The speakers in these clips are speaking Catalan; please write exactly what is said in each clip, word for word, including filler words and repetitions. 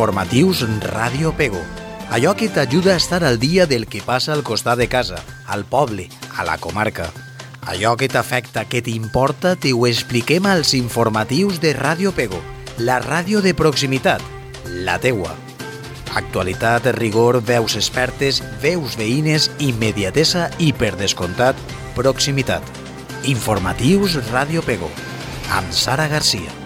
Informatius Ràdio Pego. Allò que t'ajuda a estar al dia del que passa al costat de casa, al poble, a la comarca. Allò que t'afecta, que t'importa, t'ho expliquem als informatius de Ràdio Pego, la ràdio de proximitat, la teua. Actualitat, rigor, veus expertes, veus veïnes, immediatesa i, per descomptat, proximitat. Informatius Ràdio Pego, amb Sara Garcia.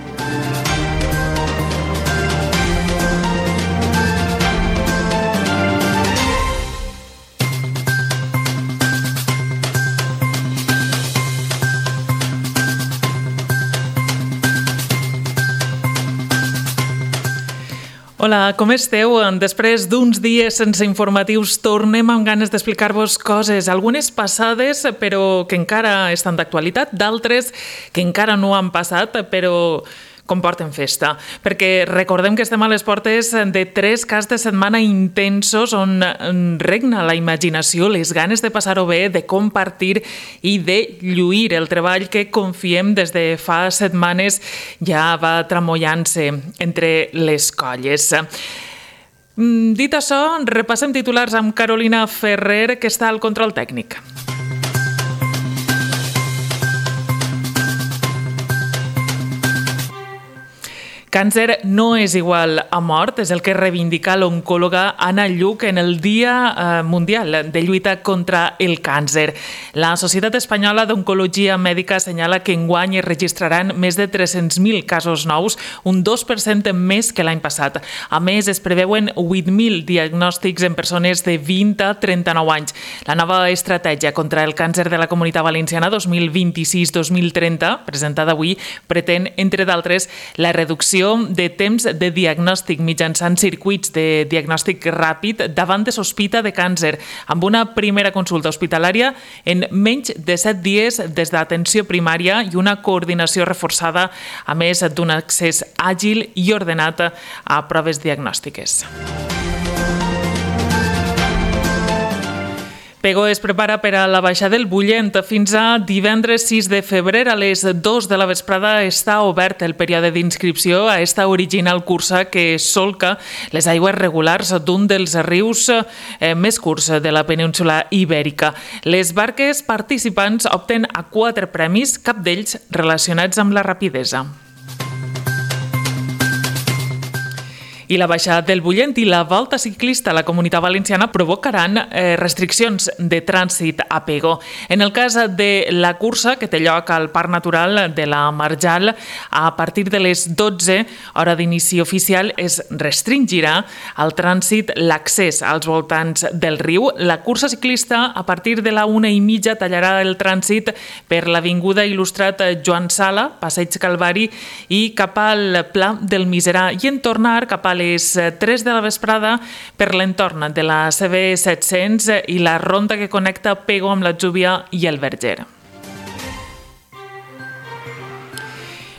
Hola, com esteu? Després d'uns dies sense informatius tornem amb ganes d'explicar-vos coses, algunes passades però que encara estan d'actualitat, d'altres que encara no han passat però comporten festa, perquè recordem que estem a les portes de tres caps de setmana intensos on regna la imaginació, les ganes de passar-ho bé, de compartir i de lluir. El treball que confiem des de fa setmanes ja va tramollant-se entre les colles. Dit això, repassem titulars amb Carolina Ferrer, que està al control tècnic. Càncer no és igual a mort, és el que reivindica l'oncòloga Anna Lluch en el Dia Mundial de Lluita contra el Càncer. La Societat Espanyola d'Oncologia Mèdica assenyala que enguany es registraran més de tres-cents mil casos nous, un dos per cent més que l'any passat. A més, es preveuen vuit mil diagnòstics en persones de vint a trenta-nou anys. La nova estratègia contra el càncer de la Comunitat Valenciana dos mil vint-i-sis dos mil trenta, presentada avui, pretén, entre d'altres, la reducció de temps de diagnòstic mitjançant circuits de diagnòstic ràpid davant de sospita de càncer, amb una primera consulta hospitalària en menys de set dies des d'atenció primària i una coordinació reforçada, a més d'un accés àgil i ordenat a proves diagnòstiques. Pego es prepara per a la baixada del Bullent. Fins a divendres sis de febrer a les dues de la vesprada està obert el període d'inscripció a esta original cursa que solca les aigües regulars d'un dels rius eh, més curts de la península Ibèrica. Les barques participants opten a quatre premis, cap d'ells relacionats amb la rapidesa. I la baixada del Bullent i la volta ciclista a la Comunitat Valenciana provocaran eh, restriccions de trànsit a Pego. En el cas de la cursa, que té lloc al Parc Natural de la Marjal, a partir de les dotze, hora d'inici oficial, es restringirà al trànsit l'accés als voltants del riu. La cursa ciclista, a partir de la una i mitja, tallarà el trànsit per l'Avinguda Il·lustrat Joan Sala, Passeig Calvari i cap al Pla del Miserà, i en tornar cap a les tres de la vesprada per l'entorn de la C B set-cents i la ronda que connecta Pego amb l'Atzúbia i el Verger.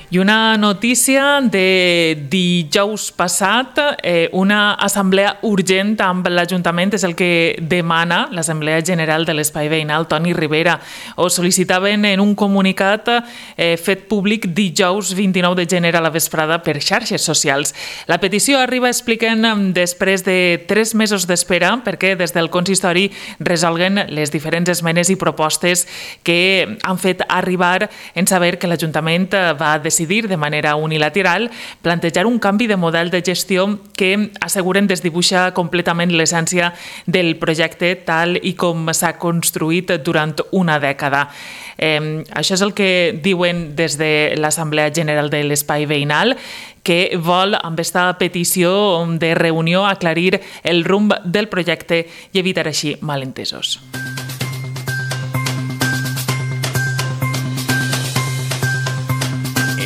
I una notícia de dijous passat, eh, una assemblea urgent amb l'Ajuntament és el que demana l'Assemblea General de l'Espai Veïnal Toni Ribera. Ho sol·licitaven en un comunicat eh, fet públic dijous vint-i-nou de gener a la vesprada per xarxes socials. La petició arriba, expliquen, després de tres mesos d'espera perquè des del consistori resolguen les diferents esmenes i propostes que han fet arribar en saber que l'Ajuntament va decidir de manera unilateral plantejar un canvi de model de gestió que asseguren desdibuixa completament l'essència del projecte tal i com s'ha construït durant una dècada. Eh, això és el que diuen des de l'Assemblea General de l'Espai Veïnal, que vol, amb aquesta petició de reunió, aclarir el rumb del projecte i evitar així malentesos.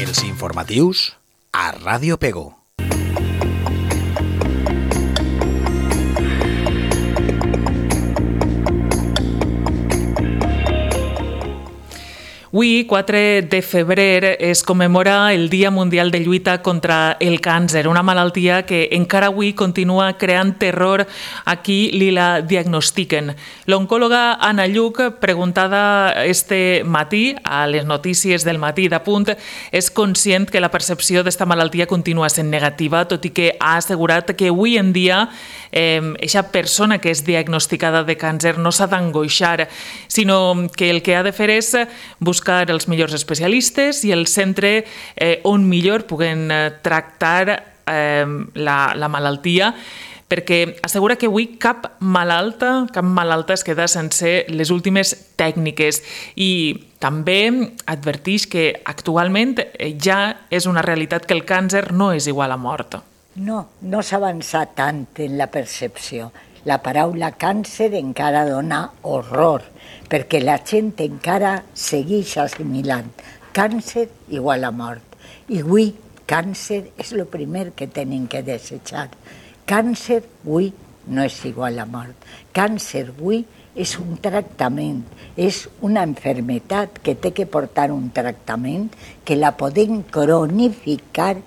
Els informatius a Ràdio Pego. Avui, quatre de febrer, es commemora el Dia Mundial de Lluita contra el Càncer, una malaltia que encara avui continua creant terror a qui li la diagnostiquen. L'oncòloga Anna Lluch, preguntada este matí a les notícies del matí d'Apunt, és conscient que la percepció d'esta malaltia continua sent negativa, tot i que ha assegurat que avui en dia aquesta eh, persona que és diagnosticada de càncer no s'ha d'angoixar, sinó que el que ha de fer és buscar buscar els millors especialistes i el centre eh, on millor puguen eh, tractar eh, la, la malaltia, perquè assegura que avui cap malalta, cap malalta es queda sense les últimes tècniques i també adverteix que actualment ja és una realitat que el càncer no és igual a mort. No, no s'ha avançat tant en la percepció. La paraula càncer encara dona horror, perquè la gent encara segueix assimilant càncer igual a mort. I avui càncer és el primer que tenen que desitjar. Càncer avui no és igual a mort. Càncer avui és un tractament, és una malaltia que té que portar un tractament, que la podem cronificar,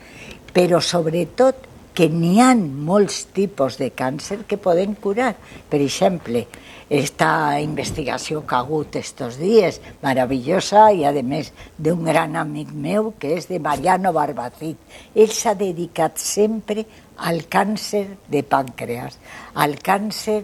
però sobretot que n'hi ha molts tipus de càncer que poden curar. Per exemple, esta investigació que ha hagut estos dies, meravellosa, i a més d'un gran amic meu, que és de Mariano Barbacid. Ell s'ha dedicat sempre al càncer de pàncreas, al càncer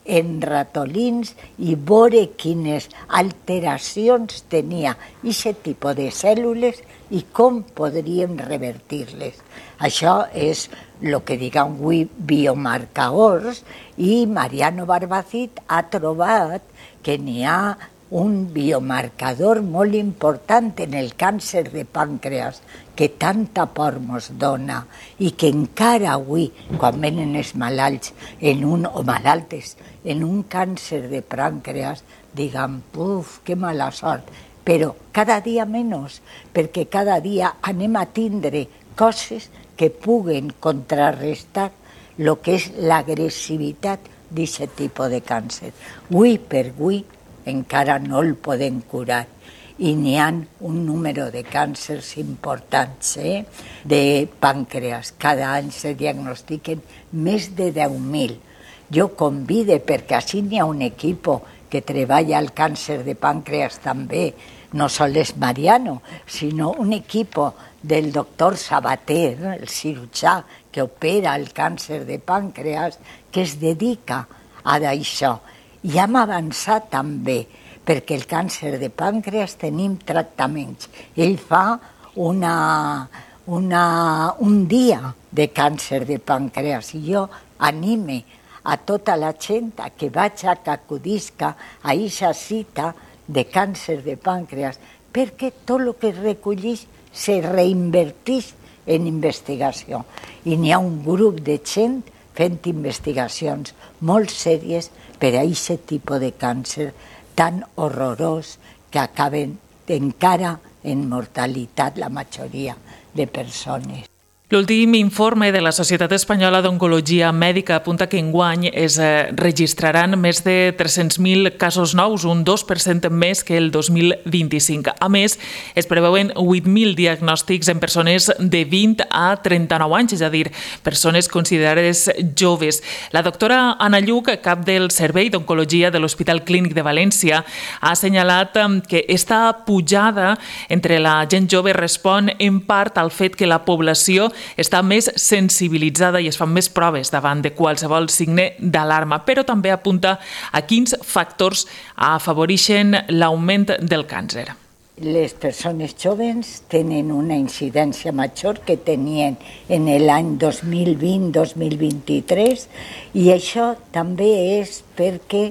en ratolins i veure quines alteracions tenia aquest tipus de cèl·lules i com podríem revertir-les. Això és el que diguem avui biomarcadors, i Mariano Barbacid ha trobat que n'hi ha un biomarcador molt important en el càncer de pàncreas que tanta por mos dona i que encara avui, quan venen els malalts en un, o malaltes en un càncer de pàncreas, diguem, uf, que mala sort, però cada dia menys, perquè cada dia anem a tindre coses que puguen contrarrestar el que és l'agressivitat d'aquest tipus de càncer. Avui per avui encara no el podem curar i n'hi ha un número de càncers importants, eh? de pàncreas. Cada any se diagnostiquen més de deu mil. Jo convide, perquè així n'hi ha un equip que treballa el càncer de pàncreas també, no sols Mariano, sinó un equip del doctor Sabater, el cirurgià que opera el càncer de pàncreas, que es dedica a això. I hem avançat també, perquè el càncer de pàncreas tenim tractaments. Ell fa una, una, un dia de càncer de pàncreas i jo anime a tota la gent a que vagi a que acudisca a aquesta cita de càncer de pàncreas, perquè tot el que es recolleix se reinverteix en investigació. I n'hi ha un grup de gent fent investigacions molt sèries per a aquest tipus de càncer tan horrorós que acaben encara en mortalitat la majoria de persones. L'últim informe de la Societat Espanyola d'Oncologia Mèdica apunta que enguany es registraran més de tres-cents mil casos nous, un dos per cent més que el dos mil vint-i-cinc. A més, es preveuen vuit mil diagnòstics en persones de vint a trenta-nou anys, és a dir, persones considerades joves. La doctora Anna Lluch, cap del Servei d'Oncologia de l'Hospital Clínic de València, ha assenyalat que esta pujada entre la gent jove respon en part al fet que la població està més sensibilitzada i es fan més proves davant de qualsevol signe d'alarma, però també apunta a quins factors afavoreixen l'augment del càncer. Les persones joves tenen una incidència major que tenien en l'any dos mil vint dos mil vint-i-tres i això també és perquè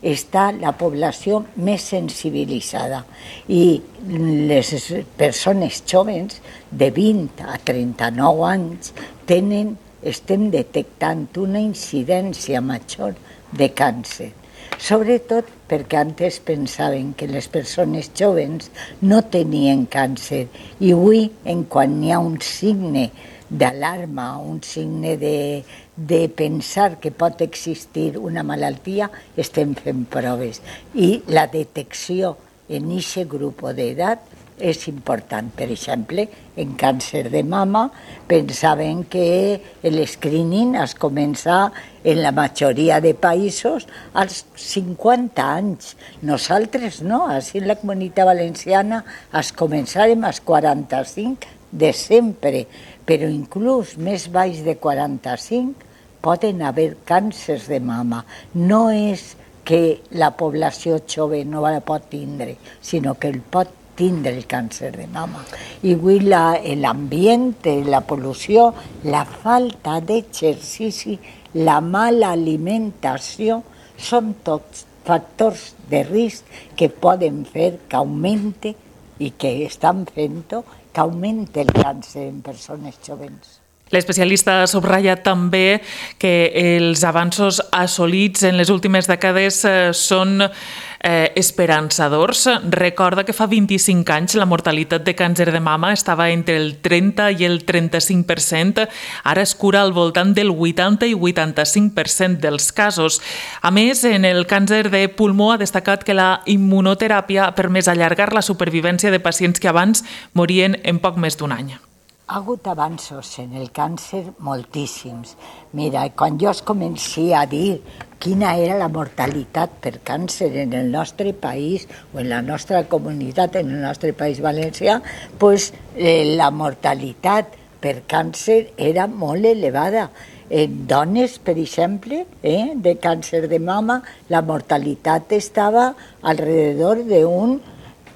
està la població més sensibilitzada i les persones joves de vint a trenta-nou anys tenen, estem detectant una incidència major de càncer. Sobretot perquè antes pensaven que les persones joves no tenien càncer i avui, en quan hi ha un signe d'alarma, un signe de, de pensar que pot existir una malaltia, estem fent proves. I la detecció en aquest grup d'edat és important. Per exemple, en càncer de mama pensaven que l'escreening es comença en la majoria de països als cinquanta anys. Nosaltres no, així en la Comunitat Valenciana es començarem als quaranta-cinc de sempre, però inclús més baix de quaranta-cinc poden haver càncers de mama. No és que la població jove no la pot tindre, sinó que el pot tindre el càncer de mama. I avui l'ambient, la pol·lució, la falta d'exercici, la mala alimentació, són tots factors de risc que poden fer que augmente i que estan fent-ho, que augmente el càncer en persones joves. L'especialista ha subratllat també que els avanços assolits en les últimes dècades són eh, esperançadors. Recorda que fa vint-i-cinc anys la mortalitat de càncer de mama estava entre el trenta i el trenta-cinc per cent. Ara es cura al voltant del vuitanta i vuitanta-cinc per cent dels casos. A més, en el càncer de pulmó ha destacat que la immunoteràpia ha permès allargar la supervivència de pacients que abans morien en poc més d'un any. Ha hagut avanços en el càncer moltíssims. Mira, quan jo es comenci a dir quina era la mortalitat per càncer en el nostre país o en la nostra comunitat, en el nostre país valencià, pues, eh, la mortalitat per càncer era molt elevada. En dones, per exemple, eh, de càncer de mama, la mortalitat estava alrededor d'un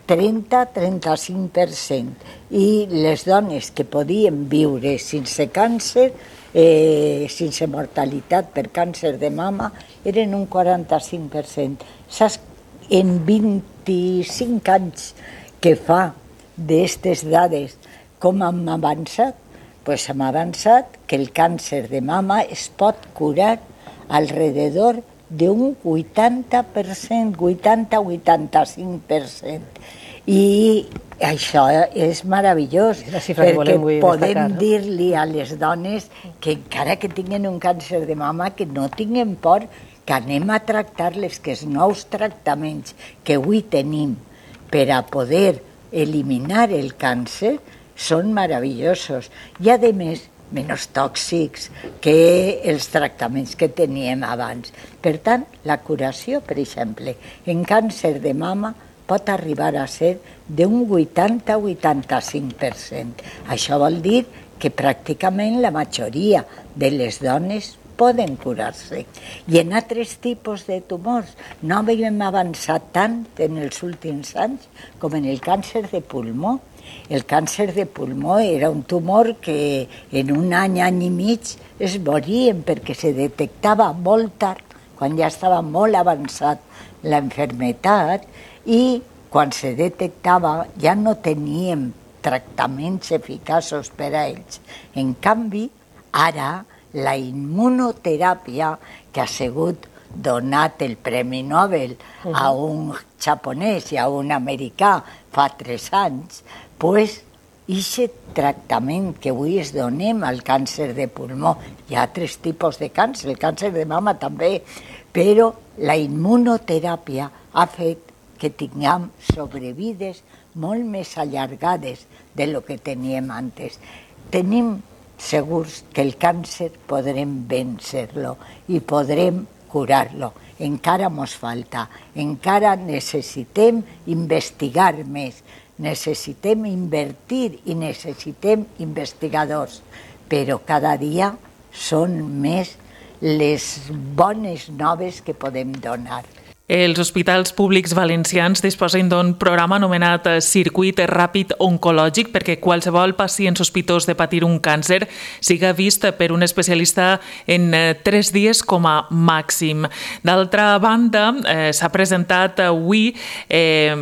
trenta a trenta-cinc per cent, i les dones que podien viure sense càncer, eh, sense mortalitat per càncer de mama, eren un quaranta-cinc per cent. Saps, en vint-i-cinc anys que fa d'aquestes dades, com hem avançat? Pues hem avançat que el càncer de mama es pot curar alrededor d'un vuitanta per cent, vuitanta a vuitanta-cinc per cent. I això és meravellós, perquè podem dir-li a les dones que encara que tinguin un càncer de mama, que no tinguin por, que anem a tractar-les, que els nous tractaments que avui tenim per a poder eliminar el càncer són meravellosos. I, a més, menys tòxics que els tractaments que teníem abans. Per tant, la curació, per exemple, en càncer de mama pot arribar a ser d'un vuitanta a vuitanta-cinc per cent. Això vol dir que pràcticament la majoria de les dones poden curar-se. I en altres tipus de tumors no havíem avançat tant en els últims anys com en el càncer de pulmó. El càncer de pulmó era un tumor que en un any, any i mig es morien perquè se detectava molt tard, quan ja estava molt avançat la malaltia, i quan se detectava ja no teníem tractaments eficaços per a ells. En canvi, ara la immunoteràpia, que ha sigut donat el Premi Nobel a un japonès i a un americà fa tres anys, pues, aquest tractament que avui es donem al càncer de pulmó, hi ha altres tipus de càncer, el càncer de mama també, però la immunoteràpia ha fet que tinguem sobrevides molt més allargades de lo que teníem antes. Tenim segurs que el càncer podrem vèncer-lo i podrem curar-lo. Encara mos falta, encara necessitem investigar més, necessitem invertir i necessitem investigadors, però cada dia són més les bones noves que podem donar. Els hospitals públics valencians disposen d'un programa anomenat Circuit Ràpid Oncològic perquè qualsevol pacient sospitós de patir un càncer siga vist per un especialista en tres dies com a màxim. D'altra banda, eh, s'ha presentat avui eh,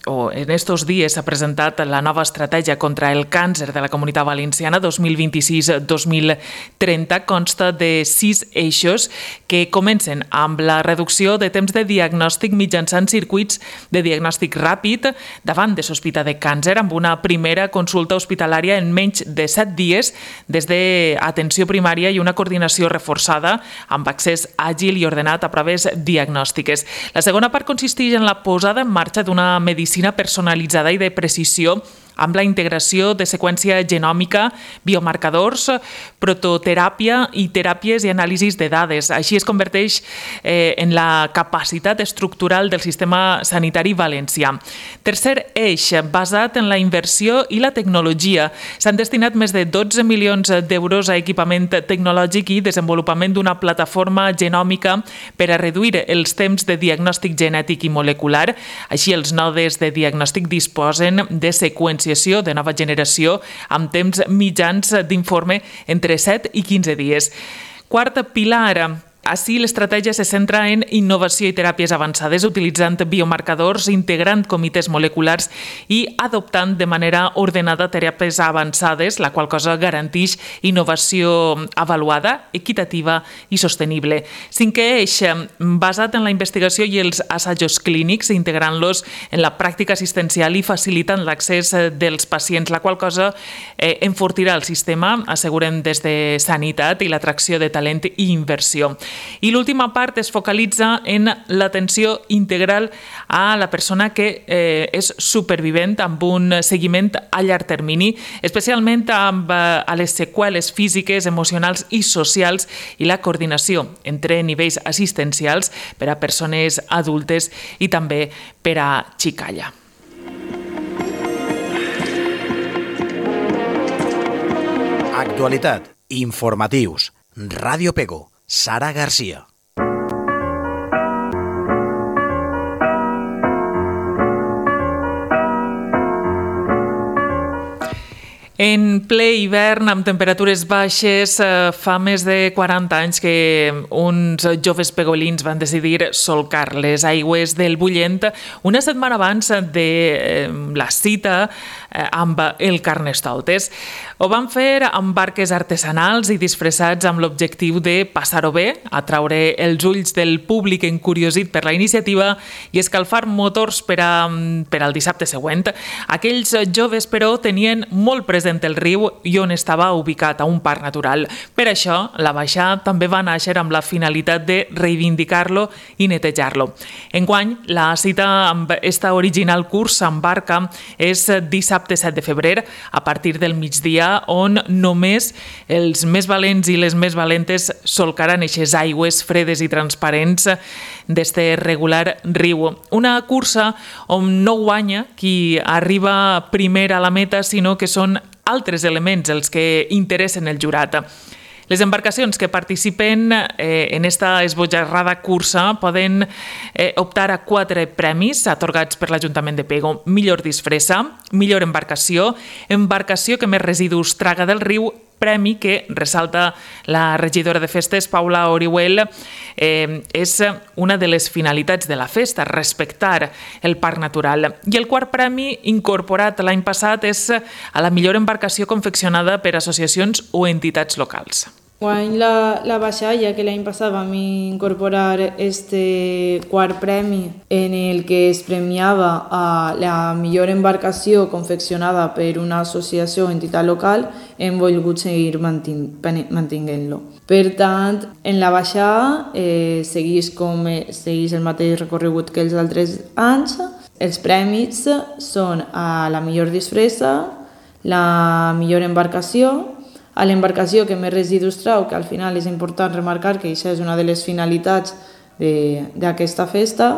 o en estos dies s'ha presentat la nova estratègia contra el càncer de la Comunitat Valenciana dos mil vint-i-sis a dos mil trenta. Consta de sis eixos que comencen amb la reducció de temps de diagnòstic mitjançant circuits de diagnòstic ràpid davant de sospita de càncer, amb una primera consulta hospitalària en menys de set dies des d'atenció primària i una coordinació reforçada amb accés àgil i ordenat a proves diagnòstiques. La segona part consisteix en la posada en marxa d'una medicina personalitzada i de precisió amb la integració de seqüència genòmica, biomarcadors, prototeràpia i teràpies i anàlisis de dades. Així es converteix eh, en la capacitat estructural del sistema sanitari valencià. Tercer eix, basat en la inversió i la tecnologia. S'han destinat més de dotze milions d'euros a equipament tecnològic i desenvolupament d'una plataforma genòmica per a reduir els temps de diagnòstic genètic i molecular. Així, els nodes de diagnòstic disposen de seqüències de nova generació amb temps mitjans d'informe entre set i quinze dies. Quart pilar. Així, l'estratègia se centra en innovació i teràpies avançades, utilitzant biomarcadors, integrant comitès moleculars i adoptant de manera ordenada teràpies avançades, la qual cosa garanteix innovació avaluada, equitativa i sostenible. Cinquè eix, basat en la investigació i els assajos clínics, integrant-los en la pràctica assistencial i facilitant l'accés dels pacients, la qual cosa eh, enfortirà el sistema, asseguren des de Sanitat, i l'atracció de talent i inversió. I l'última part es focalitza en l'atenció integral a la persona que eh, és supervivent amb un seguiment a llarg termini, especialment amb eh, a les seqüeles físiques, emocionals i socials i la coordinació entre nivells assistencials per a persones adultes i també per a xicalla. Actualitat, informatius, Ràdio Pego, Sara Garcia. En ple hivern, amb temperatures baixes, fa més de quaranta anys que uns joves pegolins van decidir solcar les aigües del Bullent una setmana abans de la cita amb el Carnestoltes. Ho van fer amb barques artesanals i disfressats amb l'objectiu de passar-ho bé, atraure els ulls del públic encuriosit per la iniciativa i escalfar motors per, a, per al dissabte següent. Aquells joves, però, tenien molt present el riu i on estava ubicat, a un parc natural. Per això, la baixada també va néixer amb la finalitat de reivindicar-lo i netejar-lo. Enguany, la cita amb esta original cursa en barca és dissabte set de febrer, a partir del migdia, on només els més valents i les més valentes solcaran eixes aigües fredes i transparents d'este regular riu. Una cursa on no guanya qui arriba primer a la meta, sinó que són altres elements els que interessen el jurat. Les embarcacions que participen eh, en esta esbojarrada cursa poden eh, optar a quatre premis atorgats per l'Ajuntament de Pego. Millor disfressa, millor embarcació, embarcació que més residus traga del riu, premi que, ressalta la regidora de festes, Paula Orihuel, eh, és una de les finalitats de la festa, respectar el parc natural. I el quart premi, incorporat l'any passat, és a la millor embarcació confeccionada per associacions o entitats locals. Guany la, la baixada, ja que l'any passat vam incorporar este quart premi en el que es premiava a la millor embarcació confeccionada per una associació o entitat local, hem volgut seguir mantenint-lo. Per tant, en la baixada eh, segueix, com, segueix el mateix recorregut que els altres anys. Els premis són a la millor disfressa, la millor embarcació, a l'embarcació que més residus trau, que al final és important remarcar que això és una de les finalitats d'aquesta festa,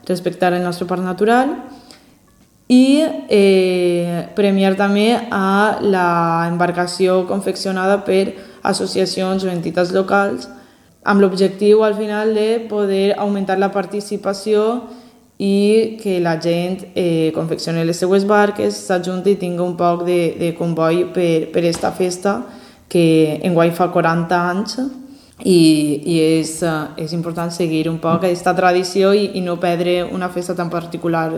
respectar el nostre parc natural, i eh, premiar també a l'embarcació confeccionada per associacions o entitats locals, amb l'objectiu al final de poder augmentar la participació i que la gent eh, confeccioni les seues barques, s'ajunti i tingui un poc de, de comboi per, per esta festa, que enguany fa quaranta anys i, i és, és important seguir un poc aquesta tradició i, i no perdre una festa tan particular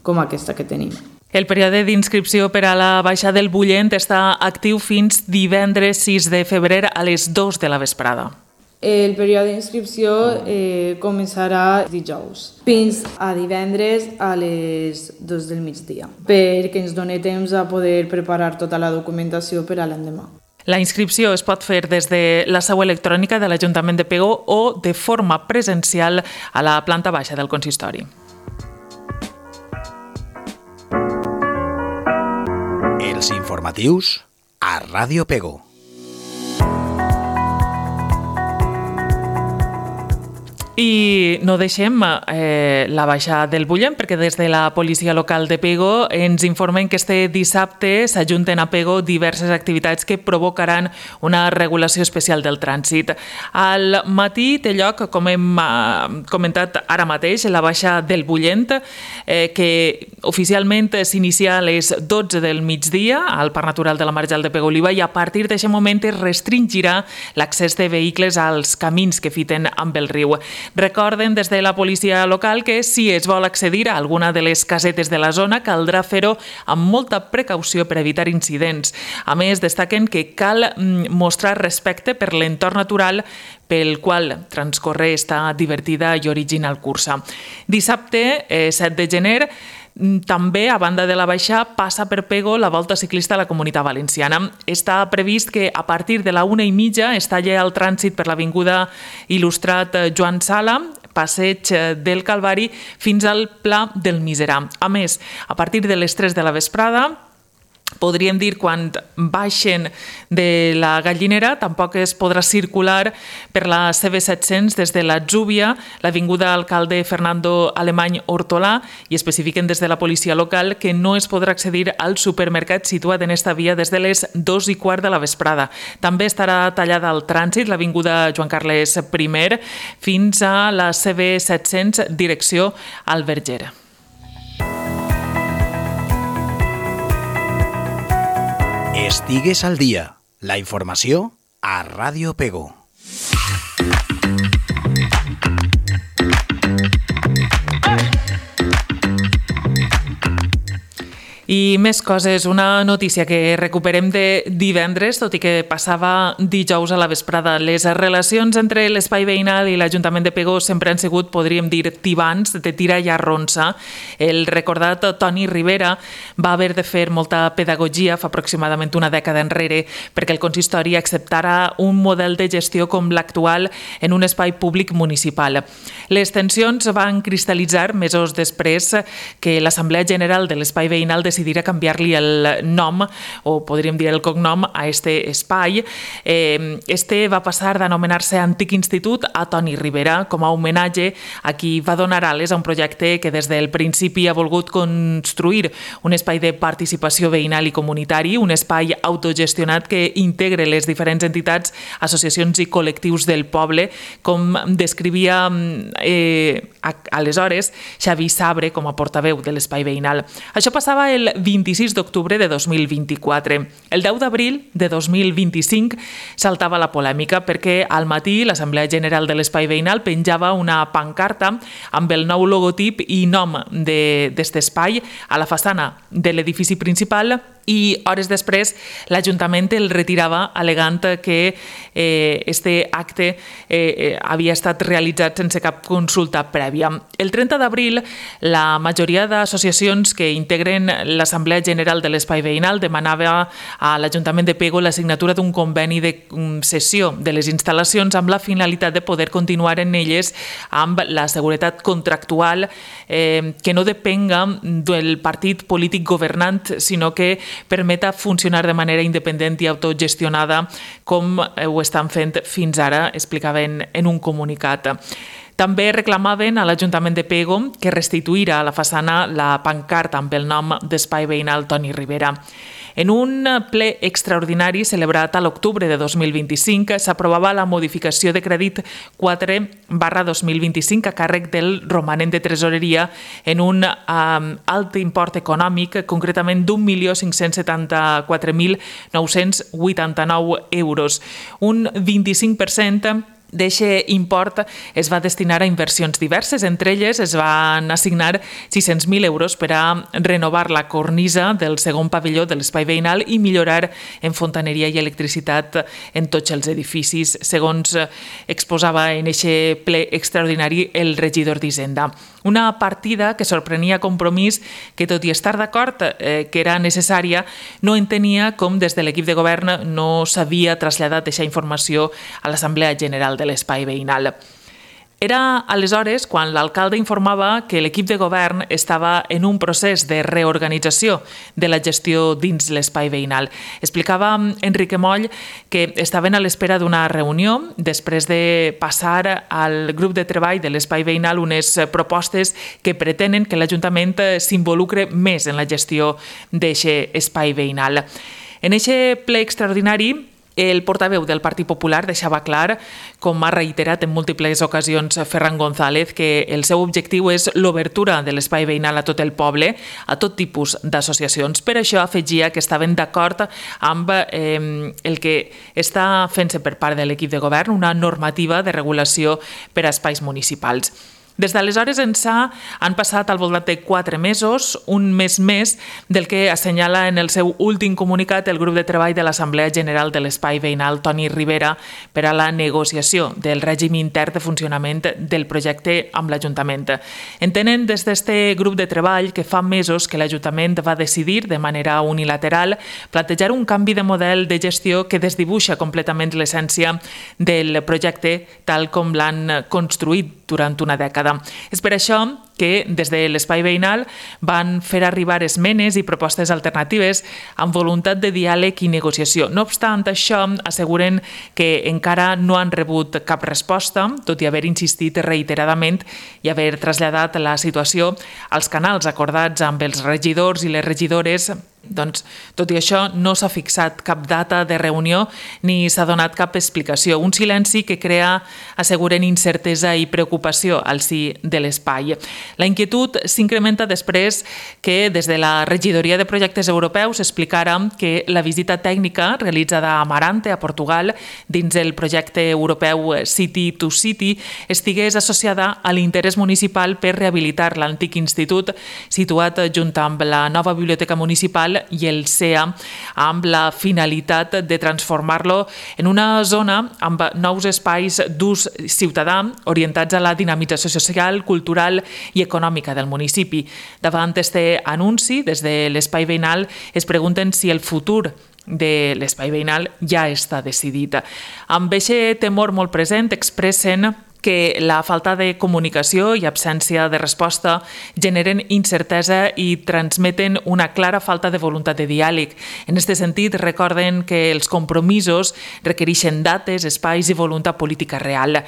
com aquesta que tenim. El període d'inscripció per a la Baixa del Bullent està actiu fins divendres sis de febrer a les dues de la vesprada. El període d'inscripció eh, començarà dijous fins a divendres a les dues del migdia, perquè ens doni temps a poder preparar tota la documentació per a l'endemà. La inscripció es pot fer des de la seu electrònica de l'Ajuntament de Pego o de forma presencial a la planta baixa del consistori. Els informatius a Ràdio Pego. I no deixem eh, la Baixa del Bullent perquè des de la policia local de Pego ens informen que este dissabte s'ajunten a Pego diverses activitats que provocaran una regulació especial del trànsit. Al matí té lloc, com hem eh, comentat ara mateix, la Baixa del Bullent, eh, que oficialment s'inicia a les dotze del migdia al Parc Natural de la Marjal de Pego-Oliva i a partir d'aquest moment es restringirà l'accés de vehicles als camins que fiten amb el riu. Recorden des de la policia local que si es vol accedir a alguna de les casetes de la zona caldrà fer-ho amb molta precaució per evitar incidents. A més, destaquen que cal mostrar respecte per l'entorn natural pel qual transcorre esta divertida i original cursa. Dissabte, eh, set de gener, també, a banda de la Baixa, passa per Pego la volta ciclista a la Comunitat Valenciana. Està previst que a partir de la una i mitja es talli el trànsit per l'Avinguda Il·lustrat Joan Sala, Passeig del Calvari, fins al Pla del Miserà. A més, a partir de les tres de la vesprada, podríem dir, quan baixen de la Gallinera, tampoc es podrà circular per la C B set-cents des de l'Atzúbia, l'Avinguda Alcalde Fernando Alemany Hortolà, i especifiquen des de la policia local que no es podrà accedir al supermercat situat en esta via des de les dos i quart de la vesprada. També estarà tallada al trànsit l'Avinguda Joan Carles I fins a la C B set-cents direcció al Verger. Estigues al dia. La informació a Ràdio Pego. I més coses, una notícia que recuperem de divendres, tot i que passava dijous a la vesprada. Les relacions entre l'espai veïnal i l'Ajuntament de Pego sempre han sigut, podríem dir, tibants, de tira i arronsa. El recordat Toni Rivera va haver de fer molta pedagogia fa aproximadament una dècada enrere perquè el consistori acceptara un model de gestió com l'actual en un espai públic municipal. Les tensions van cristal·litzar mesos després que l'Assemblea General de l'Espai Veïnal decidís decidir canviar-li el nom, o podríem dir el cognom, a este espai. Este va passar d'anomenar-se Antic Institut a Toni Rivera, com a homenatge a qui va donar ales a un projecte que des del principi ha volgut construir un espai de participació veïnal i comunitari, un espai autogestionat que integre les diferents entitats, associacions i col·lectius del poble, com descrivia eh, aleshores Xavi Sabre com a portaveu de l'espai veïnal. Això passava el vint-i-sis d'octubre de dos mil vint-i-quatre. El deu d'abril de dos mil vint-i-cinc saltava la polèmica perquè al matí l'Assemblea General de l'Espai Veïnal penjava una pancarta amb el nou logotip i nom d'aquest espai a la façana de l'edifici principal i hores després l'Ajuntament el retirava al·legant que eh, este acte eh, havia estat realitzat sense cap consulta prèvia. El trenta d'abril la majoria d'associacions que integren l'Assemblea General de l'Espai Veïnal demanava a l'Ajuntament de Pego la signatura d'un conveni de cessió de les instal·lacions amb la finalitat de poder continuar en elles amb la seguretat contractual eh, que no depenga del partit polític governant, sinó que permeta funcionar de manera independent i autogestionada com ho estan fent fins ara, explicaven en un comunicat. També reclamaven a l'Ajuntament de Pego que restituïra a la façana la pancarta amb el nom d'Espai Veïnal Toni Rivera. En un ple extraordinari celebrat a l'octubre de dos mil vint-i-cinc s'aprovava la modificació de crèdit quatre barra dos mil vint-i-cinc a càrrec del romanent de tresoreria en un um, alt import econòmic, concretament d'un milió cinc-cents setanta-quatre mil nou-cents vuitanta-nou euros, un vint-i-cinc per cent D'eixe import es va destinar a inversions diverses, entre elles es van assignar sis-cents mil euros per a renovar la cornisa del segon pavelló de l'espai veïnal i millorar en fontaneria i electricitat en tots els edificis, segons exposava en eixe ple extraordinari el regidor d'Hisenda. Una partida que sorprenia Compromís, que tot i estar d'acord eh, que era necessària, no entenia com des de l'equip de govern no s'havia traslladat aquesta informació a l'Assemblea General de l'espai veïnal. Era aleshores quan l'alcalde informava que l'equip de govern estava en un procés de reorganització de la gestió dins l'espai veïnal. Explicava Enrique Moll que estaven a l'espera d'una reunió després de passar al grup de treball de l'espai veïnal unes propostes que pretenen que l'Ajuntament s'involucre més en la gestió d'aquest espai veïnal. En aquest ple extraordinari, el portaveu del Partit Popular deixava clar, com ha reiterat en múltiples ocasions Ferran González, que el seu objectiu és l'obertura de l'espai veïnal a tot el poble, a tot tipus d'associacions. Per això afegia que estaven d'acord amb eh, el que està fent-se per part de l'equip de govern, una normativa de regulació per a espais municipals. Des d'aleshores ençà han passat al voltant de quatre mesos, un mes més del que assenyala en el seu últim comunicat el grup de treball de l'Assemblea General de l'Espai Veïnal Toni Rivera per a la negociació del règim intern de funcionament del projecte amb l'Ajuntament. Entenen des d'aquest grup de treball que fa mesos que l'Ajuntament va decidir de manera unilateral plantejar un canvi de model de gestió que desdibuixa completament l'essència del projecte tal com l'han construït durant una dècada. És per això que des de l'espai veïnal van fer arribar esmenes i propostes alternatives amb voluntat de diàleg i negociació. No obstant això, asseguren que encara no han rebut cap resposta, tot i haver insistit reiteradament i haver traslladat la situació als canals acordats amb els regidors i les regidores. Doncs, tot i això, no s'ha fixat cap data de reunió ni s'ha donat cap explicació. Un silenci que crea, asseguren, incertesa i preocupació al si de l'espai. La inquietud s'incrementa després que des de la Regidoria de Projectes Europeus explicara que la visita tècnica realitzada a Amarante, a Portugal, dins el projecte europeu City to City, estigués associada a l'interès municipal per rehabilitar l'antic institut situat junt amb la nova biblioteca municipal i el C E A, amb la finalitat de transformar-lo en una zona amb nous espais d'ús ciutadà orientats a la dinamització social, cultural i econòmica del municipi. Davant aquest anunci, des de l'espai veïnal es pregunten si el futur de l'espai veïnal ja està decidit. Amb aquest temor molt present expressen que la falta de comunicació i absència de resposta generen incertesa i transmeten una clara falta de voluntat de diàleg. En aquest sentit, recorden que els compromisos requereixen dates, espais i voluntat política real.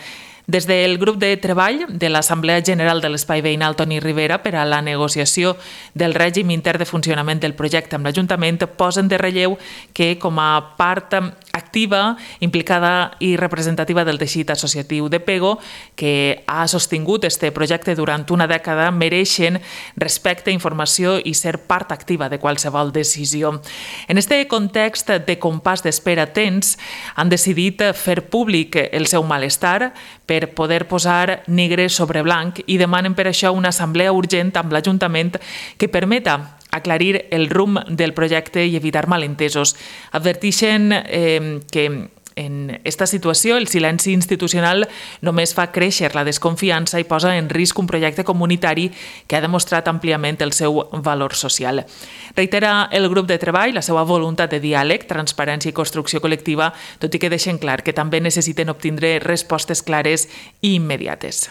Des del grup de treball de l'Assemblea General de l'Espai Veïnal Toni Rivera per a la negociació del règim intern de funcionament del projecte amb l'Ajuntament posen de relleu que, com a part activa, implicada i representativa del teixit associatiu de Pego, que ha sostingut este projecte durant una dècada, mereixen respecte, informació i ser part activa de qualsevol decisió. En aquest context de compàs d'espera tens, han decidit fer públic el seu malestar per poder posar negre sobre blanc i demanen per això una assemblea urgent amb l'Ajuntament que permeta aclarir el rumb del projecte i evitar malentesos. Adverteixen eh, que en aquesta situació el silenci institucional només fa créixer la desconfiança i posa en risc un projecte comunitari que ha demostrat àmpliament el seu valor social. Reitera el grup de treball la seva voluntat de diàleg, transparència i construcció col·lectiva, tot i que deixen clar que també necessiten obtindre respostes clares i immediates.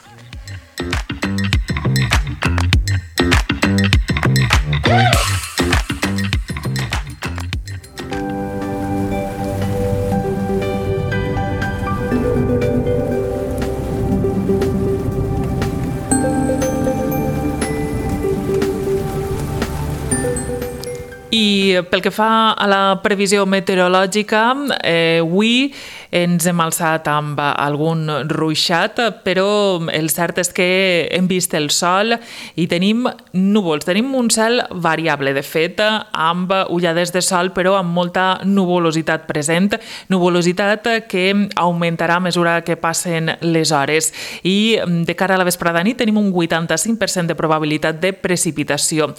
I pel que fa a la previsió meteorològica, eh, avui ens hem alçat amb algun ruixat, però el cert és que hem vist el sol i tenim núvols. Tenim un cel variable, de fet, amb ullades de sol, però amb molta nuvolositat present, nuvolositat que augmentarà a mesura que passen les hores. I de cara a la vesprada nit tenim un vuitanta-cinc per cent de probabilitat de precipitació.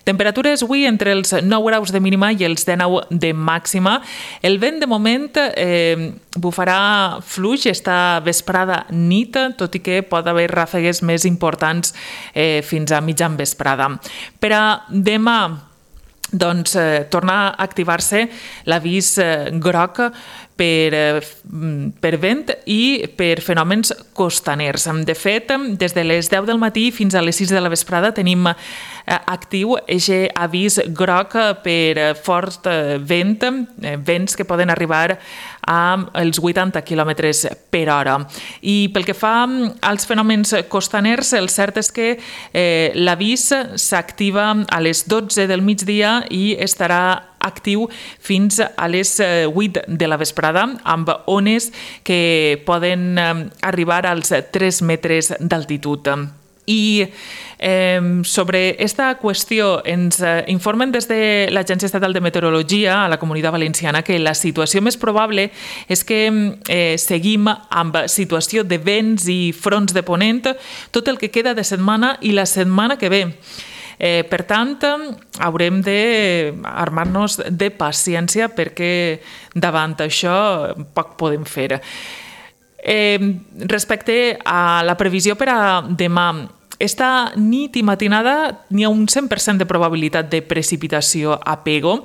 Temperatures avui entre els nou graus de mínima i els dinou de màxima. El vent, de moment, eh, bufarà fluix esta vesprada nit, tot i que pot haver ràfegues més importants eh, fins a mitjan vesprada. Per a demà, doncs, eh, torna a activar-se l'avís eh, groc per, eh, per vent i per fenòmens costaners. De fet, des de les deu del matí fins a les sis de la vesprada tenim eh, actiu aquest avís groc per fort eh, vent, eh, vents que poden arribar als vuitanta quilòmetres per hora. I pel que fa als fenòmens costaners, el cert és que eh, l'avís s'activa a les dotze del migdia i estarà actiu fins a les vuit de la vesprada, amb ones que poden arribar als tres metres d'altitud. I eh, sobre aquesta qüestió ens eh, informen des de l'Agència Estatal de Meteorologia a la Comunitat Valenciana que la situació més probable és que eh, seguim amb situació de vents i fronts de ponent tot el que queda de setmana i la setmana que ve. Eh, per tant, haurem d'armar-nos de paciència perquè davant això poc podem fer. Eh, respecte a la previsió per a demà, esta nit i matinada n'hi ha un cent per cent de probabilitat de precipitació a Pego.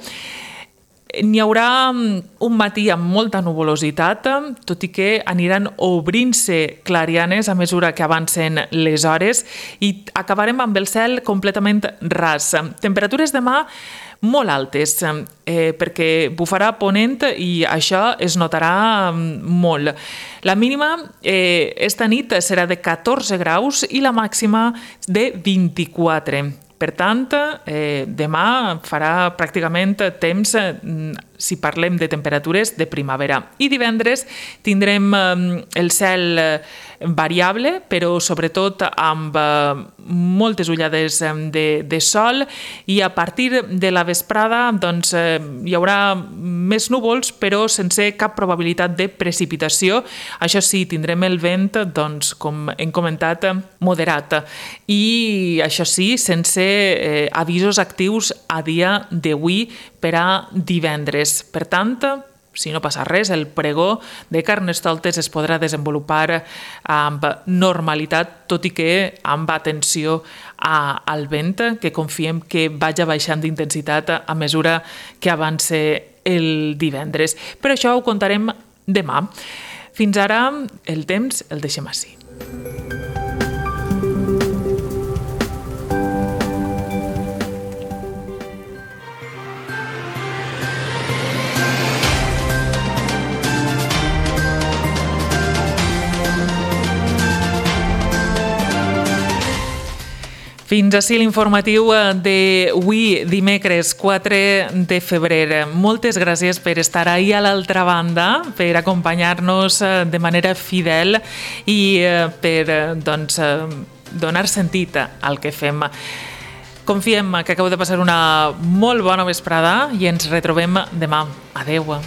N'hi haurà un matí amb molta nuvolositat, tot i que aniran obrint-se clarianes a mesura que avancen les hores i acabarem amb el cel completament ras. Temperatures demà molt altes, eh, perquè bufarà ponent i això es notarà molt. La mínima eh, esta nit serà de catorze graus i la màxima de vint-i-quatre. Per tant, eh, demà farà pràcticament temps, eh, si parlem de temperatures, de primavera. I divendres tindrem eh, el cel variable, però sobretot amb eh, moltes ullades de, de sol i a partir de la vesprada doncs, eh, hi haurà més núvols, però sense cap probabilitat de precipitació. Això sí, tindrem el vent, doncs, com hem comentat, moderat. I això sí, sense eh, avisos actius a dia d'avui per a divendres. Per tant, si no passa res, el pregó de Carnestoltes es podrà desenvolupar amb normalitat, tot i que amb atenció a, al vent, que confiem que vagi baixant d'intensitat a mesura que avance el divendres. Però això ho contarem demà. Fins ara, el temps el deixem així. Fins ací l'informatiu d'avui, dimecres quatre de febrer. Moltes gràcies per estar ahí a l'altra banda, per acompanyar-nos de manera fidel i per doncs, donar sentit al que fem. Confiem que acabeu de passar una molt bona vesprada i ens retrobem demà. Adeu.